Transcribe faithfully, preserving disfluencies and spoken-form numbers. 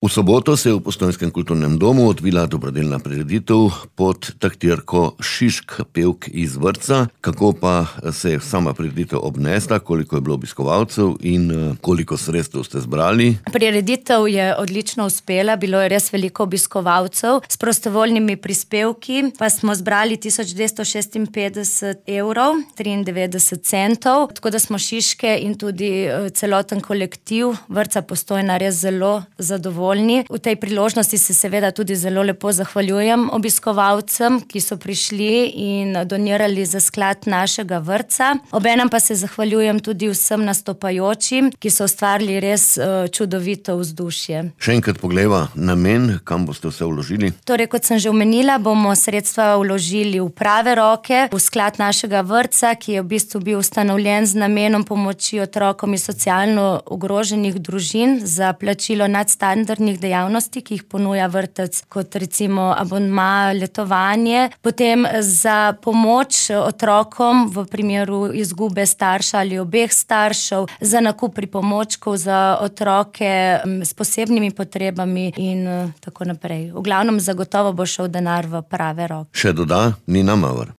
V soboto se je v Postojnskem kulturnem domu odvila dobrodelna prireditev pod taktirko Šišk, pevk iz vrtca. Kako pa se je sama prireditev obnesla, koliko je bilo obiskovalcev in koliko sredstev ste zbrali? Prireditev je odlično uspela, bilo je res veliko obiskovalcev. S prostovoljnimi prispevki pa smo zbrali tisoč dvesto šestinpetdeset evrov, triindevetdeset centov, tako da smo Šiške in tudi celoten kolektiv vrtca Postojna res zelo zadovoljni. V tej priložnosti se seveda tudi zelo lepo zahvaljujem obiskovalcem, ki so prišli in donirali za sklad našega vrtca. Obenem pa se zahvaljujem tudi vsem nastopajočim, ki so ustvarili res čudovito vzdušje. Še enkrat poglejva namen, kam boste vse vložili? Torej, kot sem že omenila, bomo sredstva vložili v prave roke, v sklad našega vrtca, ki je v bistvu bil ustanovljen z namenom pomoči otrokom iz socialno ogroženih družin za plačilo nadstandardnih dejavnosti, ki jih ponuja vrtec, kot recimo abonma, letovanje, potem za pomoč otrokom v primeru izgube starša ali obeh staršev, za nakup pripomočkov za otroke s posebnimi potrebami in tako naprej. V glavnem zagotovo bo šel denar v prave roke. Še doda Nina Mauer.